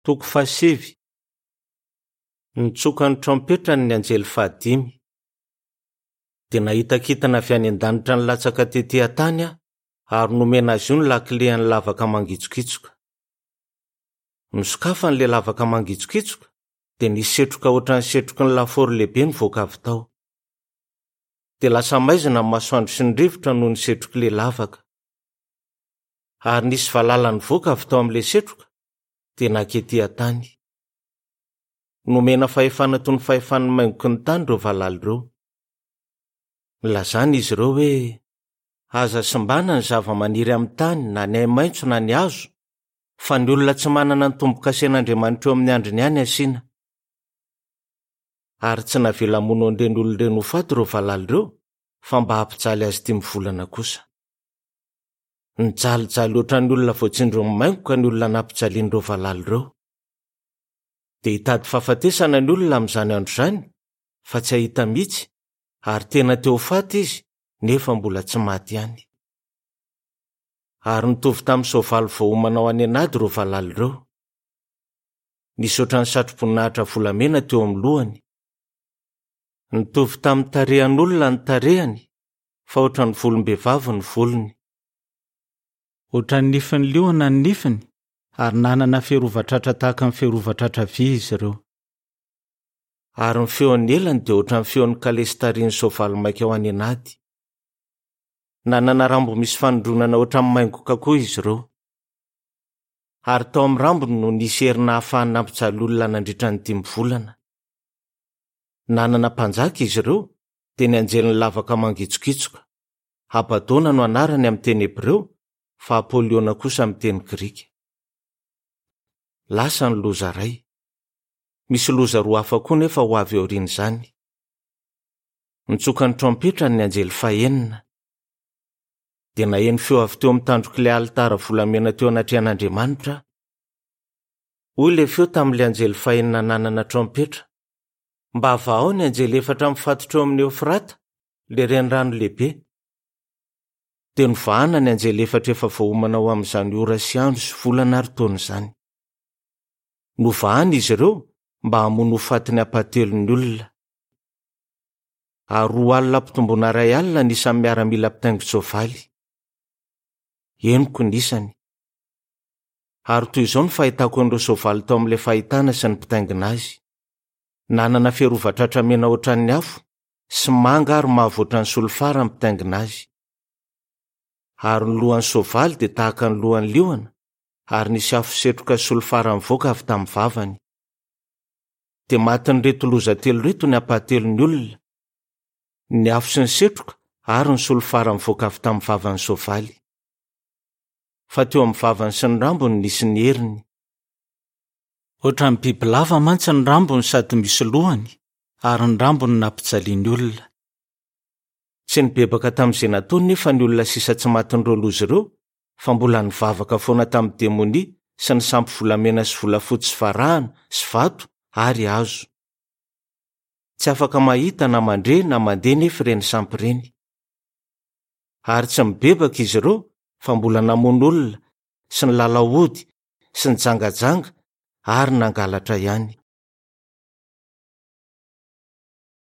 Toko fahasivy. Nitsoka ny trompetrany ny anjely fahadimy. Dia nahita kintana avy any an-danitra nilatsaka tetỳ an-tany aho, ary nomena azy io ny lakilean'ny lavaka mangitsokitsoka. Nosokafany ilay lavaka mangitsokitsoka, dia nisy setroka hoatran'ny setroky ny lafaoro lehibe nivoaka avy tao. Dia lasa maizina ny masoandro sy ny rivotra noho ny setrok'ilay lavaka. Ary nisy valala nivoaka avy tao amin'ilay setroka, dia nanketỳ an-tany. Nomena fahefana toy ny fahefan'ny maingoky ny tany ireo valala ireo. Nilazana izy ireo hoe, Aza simbana ny zavamaniry amin'ny tany, na ny ahi-maitso na ny hazo, fa ny olona tsy manana ny tombo-kasen'Andriamanitra eo amin'ny andriny ihany asiana. Ary tsy navela hamono an'ireny olona ireny ho faty ireo valala ireo, fa mba hampijaly azy dimy volana kosa. Nijalijaly hoatran'ny olona voatsindron'ny maingoka ny olona nampijalian'ireo valala ireo. Dia hitady fahafatesana ny olona amin'izany andro izany, fa tsy hahita mihitsy, ary tena te ho faty izy, nefa mbola tsy maty ihany. Ary nitovy tamin'ny soavaly voaomana ho any an'ady ireo valala ireo. Nisy hoatran'ny satroboninahitra volamena teo amin'ny lohany. Nitovy tamin'ny tarehan'olona ny tarehany, fa hoatran'ny volom-behivavy ny volony. Hoatran'ny nifin'ny liona ny nifiny, ary nanana fiarovan-tratra tahaka ny fiarovan-tratra vy izy ireo. Ary ny feon'ny elany dia hoatran'ny feon'ny kalesy tarihin'ny soavaly maika ho any an'ady. Nanana rambo misy fanindronana hoatran'ny maingoka koa izy ireo. Ary tao amin'ny rambony no nisy hery nahafahany nampijaly olona nandritra ny dimy volana. Nanana mpanjaka izy ireo, dia ny anjelin'ny lavaka mangitsokitsoka. Abadona no anarany amin'ny teny hebreo, fa Apoliona kosa amin'ny teny grika. Lasa ny loza iray. Misy loza roa hafa koa nefa ho avy aorian'izany. Nitsoka ny trompetrany ny anjely fahenina. Dia naheno feo avy teo amin'ny tandrok'ilay alitara volamena teo anatrehan'Andriamanitra aho. Hoy ilay feo tamin'ilay anjely fahenina nanana trompetra, Mba vahao ny anjely efatra mifatotra eo amin'i Eofrata, ilay renirano lehibe. Dia novahana ny anjely efatra efa voaomana ho amin'izany ora sy andro sy volana ary taona izany. Novahana izy ireo mba hamono ho faty ny ampahatelon'ny olona. Ary 20 ampitomboina 1000 ny isan'ny miaramila mpitaingin-tsoavaly. Henoko ny isany. Ary toy izao ny fahitako an'ireo soavaly tao amin'ilay fahitana sy ny mpitaingina azy. Nanana fiarovan-tratra mena hoatran'ny afo, sy manga ary mavo hoatran'ny solifara ny mpitaingina azy. Ary ny lohan'ny soavaly dia tahaka ny lohan'ny liona, ary nisy afo setroka sy solifara nivoaka avy tamin'ny vavany. Dia matin'ireto loza telo ireto ny ampahatelon'ny olona, ny afo sy ny setroka ary ny solifara nivoaka avy tamin'ny vavan'ny soavaly. Fa teo amin'ny vavany sy ny rambony nisy ny heriny. Hoatran'ny bibilava mantsy ny rambony sady misy lohany, ary ny rambony nampijaliany olona. Tsy nibebaka tamin'izay nataony nefa ny olona sisa tsy matin'ireo loza ireo, fa mbola nivavaka foana tamin'ny demonia sy ny sampy volamena sy volafotsy sy varahana sy vato ary hazo. Tsy afaka mahita na mandre na mandeha nefa ireny sampy ireny. Ary tsy mibebaka izy ireo fa mbola namono olona sy nilalao ody sy nijangajanga ary nangalatra ihany.